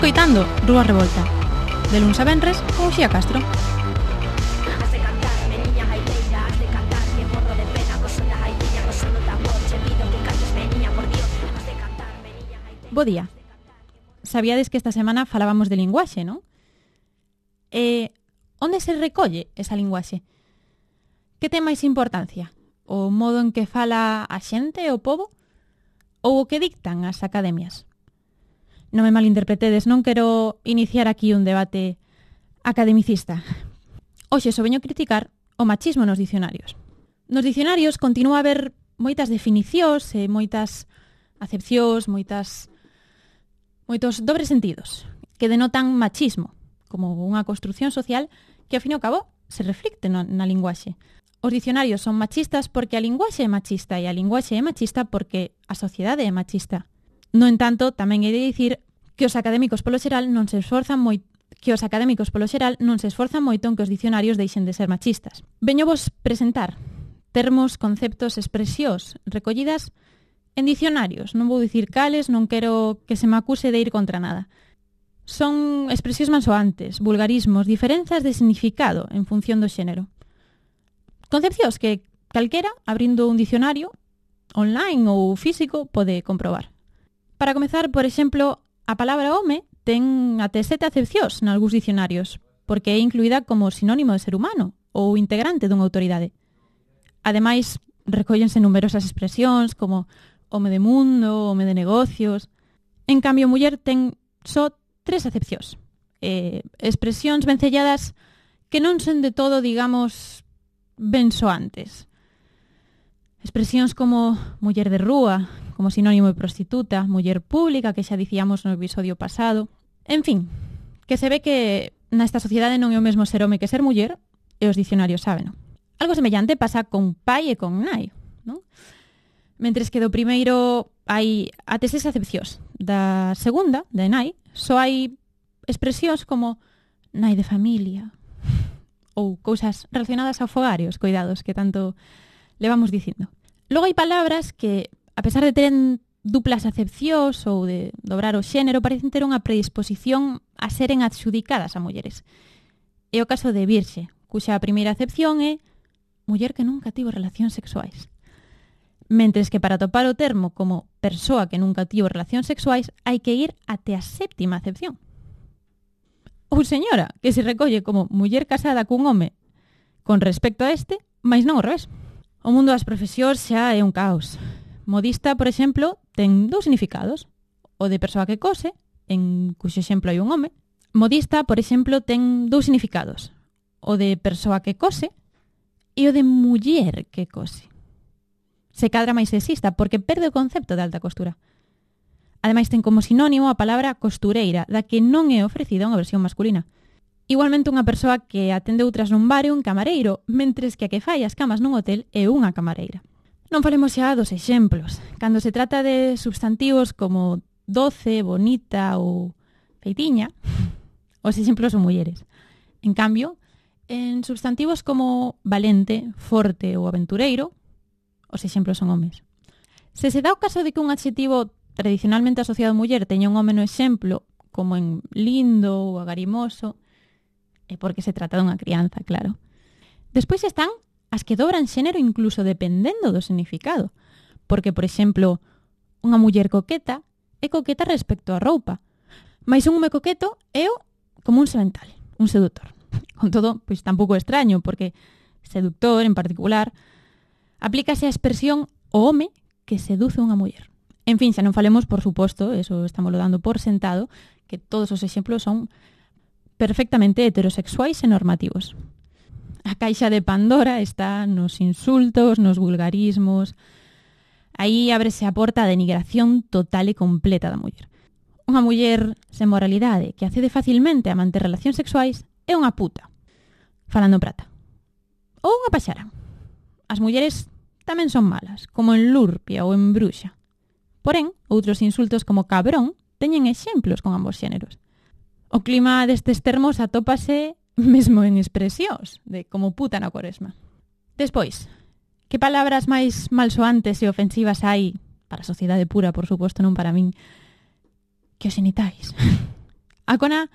escoitando Rúa Revolta, de luns a venres con Uxía Castro. Bo día. Sabíades que esta semana falábamos de linguaxe, non? Onde se recolle esa linguaxe? Que ten máis importancia? O modo en que fala a xente, o pobo? Ou o que dictan as academias? Non me malinterpretedes, non quero iniciar aquí un debate academicista. Hoxe só veño criticar o machismo nos dicionarios. Nos dicionarios continúa a haber moitas definicións e moitas acepcións, moitos dobres sentidos que denotan machismo, como unha construción social que, ao fin e ao cabo, se reflicte na linguaxe. Os dicionarios son machistas porque a linguaxe é machista e a linguaxe é machista porque a sociedade é machista. No entanto, tamén he de dicir que os académicos polo xeral non se esforzan moito en que os dicionarios deixen de ser machistas. Veño vos presentar termos, conceptos, expresións recollidas en dicionarios. Non vou dicir cales, non quero que se me acuse de ir contra nada. Son expresións mansoantes, vulgarismos, diferenzas de significado en función do xénero. Concepcións que calquera, abrindo un dicionario, online ou físico, pode comprobar. Para comezar, por exemplo, a palabra home ten até 7 acepcións nalgúns dicionarios, porque é incluída como sinónimo de ser humano ou integrante dunha autoridade. Ademais, recóllense numerosas expresións como home de mundo, home de negocios. En cambio, muller ten só 3 acepcións. Expresións vencelladas que non son de todo, digamos, ben soantes. Expresións como muller de rúa, como sinónimo de prostituta, muller pública, que xa dicíamos no episodio pasado. En fin, que se ve que nesta sociedade non é o mesmo ser home que ser muller, e os dicionarios sábeno. Algo semellante pasa con pai e con nai, non? Mentres que do primeiro hai até 6 acepcións. Da segunda, de nai, só hai expresións como nai de familia ou cousas relacionadas ao fogar e aos cuidados que tanto levamos dicindo. Logo hai palabras que, a pesar de teren duplas acepcións ou de dobrar o xénero, parecen ter unha predisposición a seren adxudicadas a mulleres. É o caso de virxe, cuxa primeira acepción é muller que nunca tivo relacións sexuais. Mentres que para topar o termo como persoa que nunca tivo relacións sexuais hai que ir até a 7ª acepción. Ou señora, que se recolle como muller casada cun home con respecto a este, mais non ao revés. O mundo das profesións xa é un caos. Modista, por exemplo, ten 2 significados. O de persoa que cose, en cuxo exemplo hai un home. Modista, por exemplo, ten 2 significados. O de persoa que cose e o de muller que cose. Se cadra máis sexista porque perde o concepto de alta costura. Ademais, ten como sinónimo a palabra costureira, da que non é ofrecida unha versión masculina. Igualmente, unha persoa que atende outras nun bar é un camareiro, mentres que a que fai as camas nun hotel é unha camareira. Non falemos xa dos exemplos. Cando se trata de substantivos como doce, bonita ou feitiña, os exemplos son mulleres. En cambio, en substantivos como valente, forte ou aventureiro, os exemplos son homes. Se se dá o caso de que un adxetivo tradicionalmente asociado a muller teña un home no exemplo, como en lindo ou agarimoso, é porque se trata dunha crianza, claro. Despois están as que dobran xénero incluso dependendo do significado, porque, por exemplo, unha muller coqueta é coqueta respecto á roupa, mais un home coqueto é como un semental, un seductor. Con todo, pois tampouco é extraño, porque seductor, en particular, aplícase a expresión o home que seduce unha muller. En fin, xa non falemos, por suposto, eso estamos dando por sentado, que todos os exemplos son perfectamente heterosexuais e normativos. A caixa de Pandora está nos insultos, nos vulgarismos. Aí ábrese a porta a denigración total e completa da muller. Unha muller sen moralidade que accede facilmente a manter relacións sexuais é unha puta, falando en prata. Ou unha paxara. As mulleres tamén son malas, como en lurpia ou en bruxa. Porén, outros insultos como cabrón teñen exemplos con ambos xéneros. O clima destes termos atópase mesmo en expresións de como puta na Cuaresma. Despois, que palabras máis malsoantes e ofensivas hai, para a sociedade pura, por suposto, non para min, que os xenitais. A cona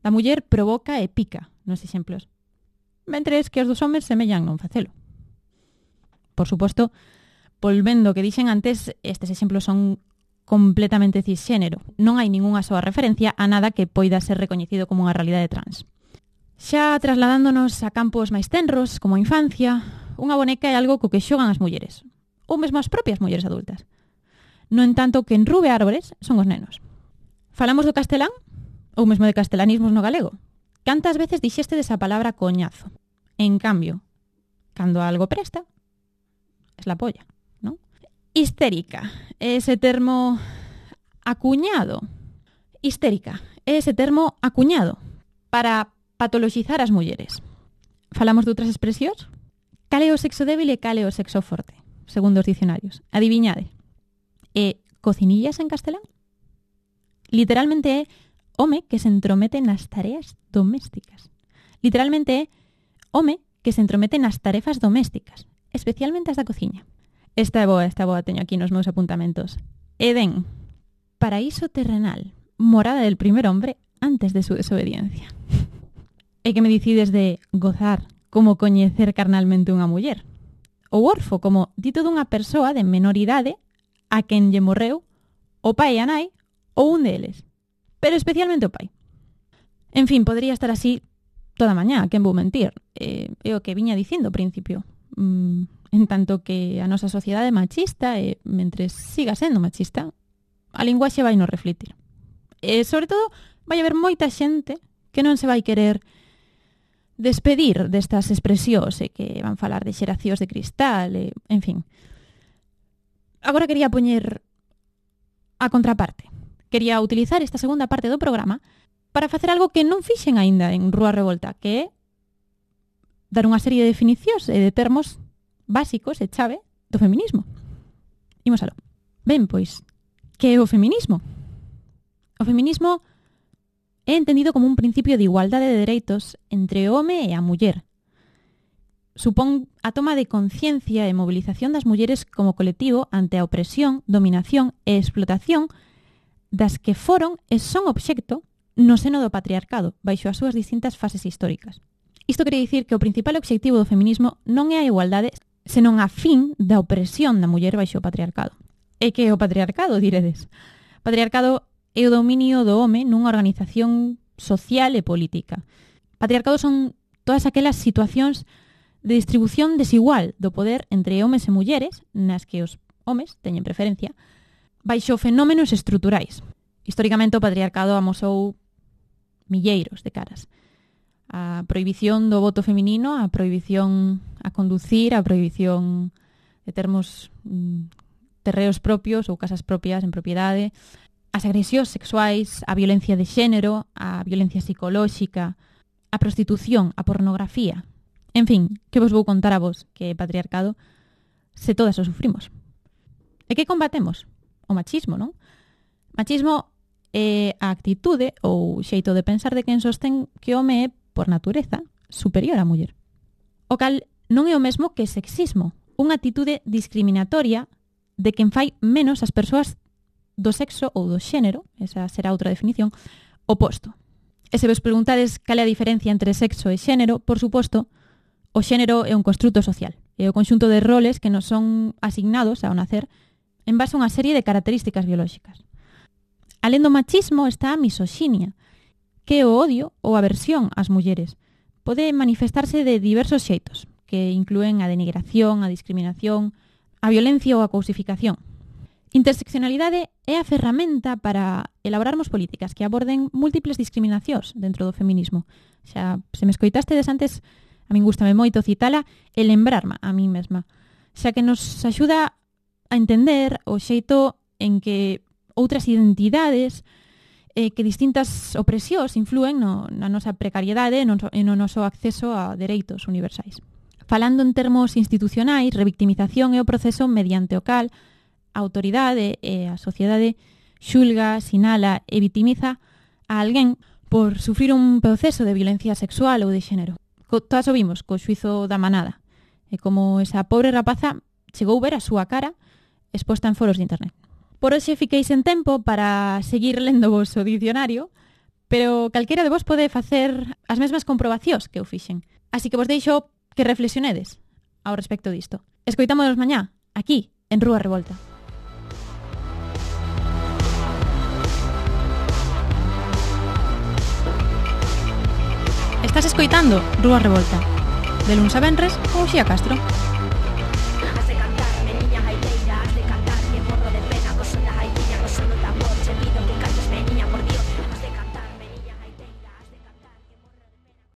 da muller provoca e pica nos exemplos, mentres que os dos homes semellan non facelo. Por suposto, volvendo o que dixen antes, estes exemplos son completamente cisxénero. Non hai ningunha soa referencia a nada que poida ser recoñecido como unha realidade trans. Xa trasladándonos a campos máis tenros, como a infancia, unha boneca é algo co que xogan as mulleres, ou mesmo as propias mulleres adultas. No entanto, que enrube árbores son os nenos. Falamos do castelán? Ou mesmo de castelanismos no galego? Cantas veces dixeste desa palabra coñazo? En cambio, cando algo presta, es la polla, ¿no? Histérica, ese termo acuñado. Histérica, ese termo acuñado para patoloxizar as mulleres. Falamos de outras expresións? Cal é o sexo débil e cal é o sexo forte, segundo os dicionarios? Adiviñade. E cocinillas en castelán? Literalmente é home que se entromete nas tareas domésticas. Literalmente é home que se entromete nas tarefas domésticas, especialmente as da cociña. Esta é boa, teño aquí nos meus apuntamentos. Edén, paraíso terrenal, morada del primer hombre antes de su desobediencia. E que me dicides de gozar como coñecer carnalmente unha muller? Ou orfo como dito dunha persoa de menor idade a quen lle morreu o pai e a nai ou un deles, pero especialmente o pai. En fin, podría estar así toda mañá, quen vou mentir. É o que viña dicindo ao principio. En tanto que a nosa sociedade é machista e mentres siga sendo machista, a linguaxe vai nos reflitir. E sobre todo, vai haber moita xente que non se vai querer despedir destas expresións e que van falar de xeracións de cristal, en fin. Agora quería poñer a contraparte. Quería utilizar esta segunda parte do programa para facer algo que non fixen aínda en Rúa Revolta, que é dar unha serie de definicións e de termos básicos e chave do feminismo. Imos aló. Ben, pois, que é o feminismo? O feminismo é entendido como un principio de igualdade de dereitos entre o home e a muller. Supón a toma de conciencia e movilización das mulleres como colectivo ante a opresión, dominación e explotación das que foron e son obxecto no seno do patriarcado, baixo as súas distintas fases históricas. Isto quere dicir que o principal obxectivo do feminismo non é a igualdade, senón a fin da opresión da muller baixo o patriarcado. E que é o patriarcado, diredes? Patriarcado é o dominio do home nunha organización social e política. Patriarcado son todas aquelas situacións de distribución desigual do poder entre homes e mulleres, nas que os homes teñen preferencia, baixo fenómenos estruturais. Históricamente o patriarcado amosou milleiros de caras. A prohibición do voto feminino, a prohibición a conducir, a prohibición de termos terreos propios ou casas propias en propiedade, as agresións sexuais, a violencia de xénero, a violencia psicolóxica, a prostitución, a pornografía. En fin, que vos vou contar a vos que é patriarcado se todas o sufrimos. E que combatemos? O machismo, non? Machismo é a actitude ou xeito de pensar de quen sostén que o home é, por natureza, superior á muller. O cal non é o mesmo que sexismo, unha actitude discriminatoria de quen fai menos as persoas do sexo ou do xénero, esa será outra definición, oposto. E se vos preguntades cal é a diferencia entre sexo e xénero, por suposto, o xénero é un construto social, é o conxunto de roles que nos son asignados ao nacer en base a unha serie de características biolóxicas. Alén do machismo está a misoxinia, que é o odio ou aversión ás mulleres. Pode manifestarse de diversos xeitos, que inclúen a denigración, a discriminación, a violencia ou a cousificación. Interseccionalidade é a ferramenta para elaborarmos políticas que aborden múltiples discriminacións dentro do feminismo. Xa, se me escoitastedes antes, a min gústame moito citala e lembrarme a mí mesma, xa que nos axuda a entender o xeito en que outras identidades que distintas opresións influen na nosa precariedade e no noso acceso a dereitos universais. Falando en termos institucionais, revictimización é o proceso mediante o cal a autoridade e a sociedade xulga, sinala e vitimiza a alguén por sufrir un proceso de violencia sexual ou de xénero. Todas o vimos co xuizo da manada, e como esa pobre rapaza chegou ver a súa cara exposta en foros de internet. Por hoxe fiquei sen tempo para seguir lendo vos o dicionario, Pero calquera de vos pode facer as mesmas comprobacións que eu fixen. Así que vos deixo que reflexionedes ao respecto disto. Escoitámonos mañá, aquí, en Rúa Revolta. Estás escoitando Rúa Revolta, de luns a venres con Uxía Castro.